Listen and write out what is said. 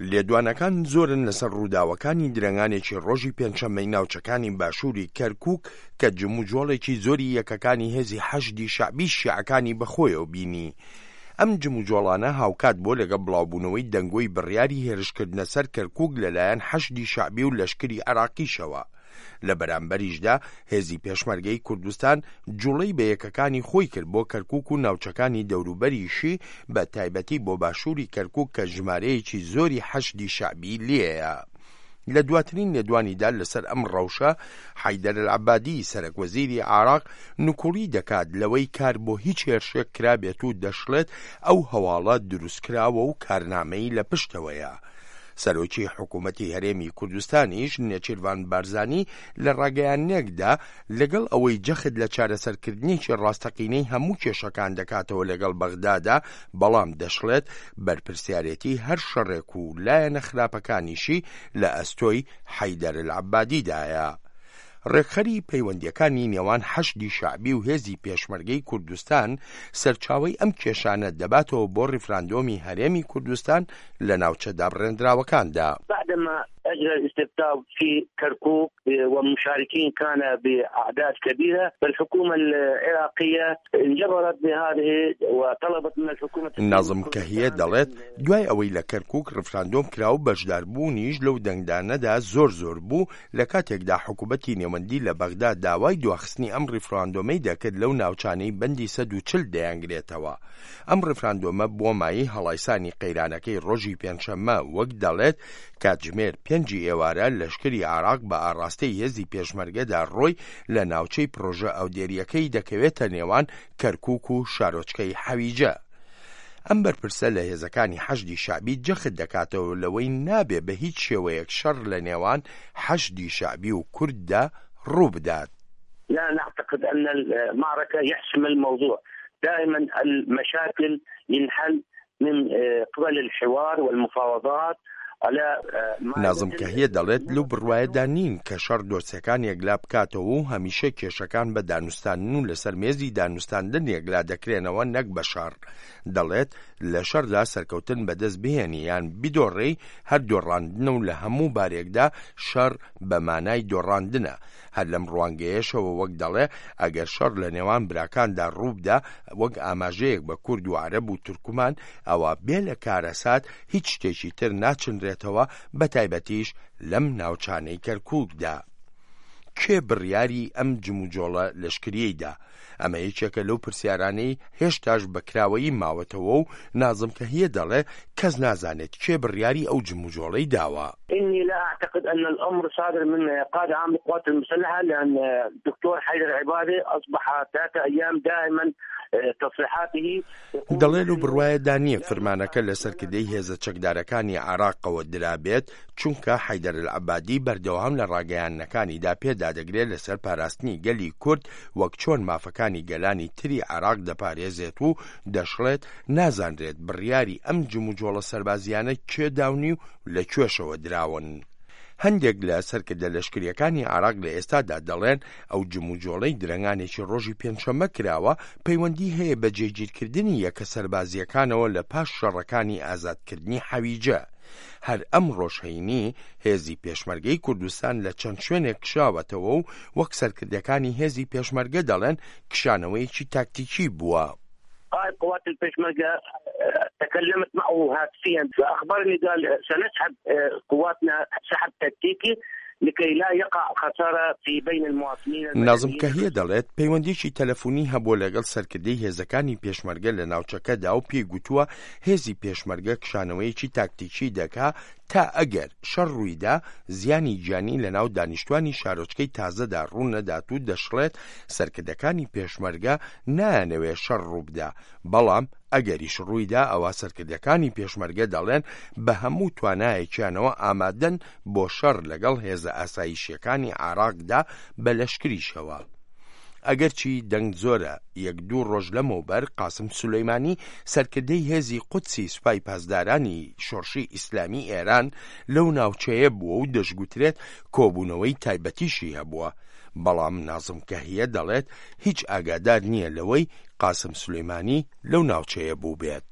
لێدوانەکان زۆرن لەسەر ڕووداوەکانی درەنگانێکی ڕۆژی پێنجشەممەی ناوچەکانی باشووری کەرکووک کە جموجۆڵێکی زۆری یەکەکانی هێزی حەشدی شەعبی شیعەکانی بەخۆیەوە بینی. ئەم جموجۆڵانە هاوکات بووە لەگەڵ بڵاوبوونەوەی دەنگۆی بڕیاری هێرشکردنە سەر کەرکووک لەلایەن حەشدی شەعبی و لەشکری عێراقیشەوە. لە بەرامبەریشدا هێزی پێشمەرگەی کوردستان جوڵەی بە یەکەکانی خۆی کرد بۆ کەرکوک و ناوچەکانی دەوروبەریشی بە تایبەتی بۆ باشووری کەرکوک کە ژمارەیەکی زۆری حەشدی شەعبی لێیە. لە دواترین لێدوانیدا لەسەر ئەم ڕەوشە، حەیدەر ئەلعەبادی سەرەک وەزیری عێراق نکوڵی دەکات لەوەی کار بۆ هیچ هێرشێک کرابێت و دەشڵێت ئەو هەواڵە دروستکراوە و کارنامەی لە پشتەوەیە. سەرۆکی حکوومەتی هەرێمی کوردستانیش نێچیرڤان بارزانی لە ڕاگەیاندنێکدا لەگەڵ ئەوەی جەخت لە چارەسەرکردنێکی ڕاستەقینەی هەموو کێشەکان دەکاتەوە لەگەڵ بەغدادا، بەڵام دەشڵێت بەرپرسیارێتی هەر شەڕێک و لایەنە خراپەکانیشی لە ئەستۆی حەیدەر العەبادیدایە. ڕێکخەری پەیوەندییەکانی نێوان حەشدی شەعبی و هێزی پێشمەرگەی کوردستان سەرچاوەی ئەم کێشانە دەباتەوە بۆ ڕیفراندۆمی هەرێمی کوردستان لە ناوچە دابڕێندراوەکاندا. بعدما اجرى الاستفتاء في كركوك ومشاركين كان باعداد كبيره فالحكومه العراقيه انجبرت بهذه وطلبت من الحكومه نازم کەهیە دەڵێت، دوای ئەوەی لە کەرکوک ڕیفراندۆم کرا و بەشداربوونیش لەو دەنگدانەدا زۆر زۆر بوو، لە کاتێکدا حکومەتی نێوەندی لە بەغدا داوای دواخستنی ئەم ڕیفراندۆمەی دەکرد لەو ناوچانەی بەندی 140 دەیانگرێتەوە. ئەم ڕیفراندۆمە بووە مایەی هەڵایسانی قەیرانەکەی ڕۆژی پێنجشەممە، وەک دەڵێت کاتژمێر پێنجی ئێوارە لەشکری عێراق بە ئاڕاستەی هێزی پێشمەرگەدا ڕۆی لە ناوچەی پڕۆژە ئاودێرییەکەی دەکەوێتە نێوان کەرکوک و شارۆچکەی حەویجە. ئەم بەرپرسە لە هێزەکانی حەشدی شەعبی جەخت دەکاتەوە لەوەی نابێ بە هیچ شێوەیەک شەڕ لە نێوان حەشدی شەعبی و کورددا ڕووبدات. لا نعتقد ان المعركة يحسم الموضوع دائما المشاكل ينحل من قبل الحوار والمفاوضات نازم کەهیە دەڵێت لەو بڕوایەدا نین کە شەڕ دۆسیەکان یەکلا بکاتەوە و هەمیشە کێشەکان بە دانوستاندن و لەسەر مێزی دانوستاندن یەکلا دەکرێنەوە نەک بە شەڕ. دەڵێت لە شەڕدا سەرکەوتن بەدەست بهێنی یان بدۆڕێی هەر دۆڕاندنە و لە هەموو بارێکدا شەڕ بە مانای دۆڕاندنە. هەر لەم ڕوانگەیەشەوە وەک دەڵێ ئەگەر شەڕ لە نێوان براکاندا ڕووبدا وەک ئاماژەیەک بە کورد و عەرەب و تورکمان ئەوا بێ لە کارەسات هیچ شتێکی تر ناچنرێتەوە بە تایبەتیش لەم ناوچانەی کەرکوکدا. کێ بڕیاری ئەم جموجۆڵە لەشکریەی دا؟ ئەمە یەکێکە لەو پرسیارانەی هێشتاش بە کراوەیی ماوەتەوە و نازم کەهیە دەڵێ کەس نازانێت کێ بڕیاری ئەو جموجۆڵەی داوە. إني لا أعتقد أن الأمر صادر من قائد عام القوات المسلحة لأن دكتور حيدر عبادي أصبح ثلاثة أيام دائما تصريحاته دەڵێ لەو بڕوایەدا نییە فرمانەکە لە سەرکردەی هێزە چەکدارەکانی عێراقەوە درابێت، چونکە حەیدەر ئەلعەبادی بەردەوام لە ڕاگەیاندنەکانیدا پێدادەگرێت لەسەر پاراستنی گەلی کورد وەک چۆن مافەکانی گەلانی تری عێراق دەپارێزێت و دەشڵێت نازانرێت بڕیاری ئەم جموجۆڵە سەربازییانە کێ داونی و لە کوێشەوە دراون. هەندێک لە سەرکردە لەشکرییەکانی عێراق لە ئێستادا دەڵێن ئەو جموجۆڵەی درەنگانێکی ڕۆژی پێنجشەممە کراوە پەیوەندی هەیە بە جێگیرکردنی یەکە سەربازییەکانەوە لە پاش شەڕەکانی ئازادکردنی حەویجە. هەر ئەمڕۆش هەینی، هێزی پێشمەرگەی کوردستان لە چەند شوێنێک کشاوەتەوە و وەک سەرکردەکانی هێزی پێشمەرگە دەڵێن کشانەوەیەکی تاکتیکی بووە. قائد قوات الپێشمەرگە تكلمت معه هاتفيا فأخبرني قال سنسحب قواتنا سحب تكتيكي لكي لا يقع خسارة في بين المواطنين نازم کەهیە دەڵێت، پەیوەندیی تەلەفونی هەبووە لەگەڵ سەرکردەی هێزەکانی پێشمەرگە لە ناوچەکەدا و پێی گوتووە هێزی پێشمەرگە کشانەوەیەکی تاکتیکی دەکا تا ئەگەر شەڕ ڕوویدا زیانی گیانی لەناو دانیشتوانی شارۆچکەی تازەدا ڕوونەدات و دەشڵێت سەرکردەکانی پێشمەرگە نایانەوێ شەڕ ڕووبدا بەڵام ئەگەریش ڕوویدا ئەوا سەرکردەکانی پێشمەرگە دەڵێن بە هەموو توانایەکیانەوە ئامادەن بۆ شەڕ لەگەڵ هێزە ئاسایشیەکانی عێراقدا بە لەشکریشەوە. ئەگەرچی دەنگ زۆرە، یەک دوو ڕۆژ لەمەوبەر قاسم سولەیمانی سەرکردەی هێزی قودسی سوپای پاسدارانی شۆڕشی ئیسلامی ئێران لەو ناوچەیە بووە و دەشگوترێت کۆبوونەوەی تایبەتیشی هەبووە، بەڵام نازم کەهیە دەڵێت هیچ ئاگادار نییە لەوەی قاسم سولەیمانی لەو ناوچەیە بووبێت.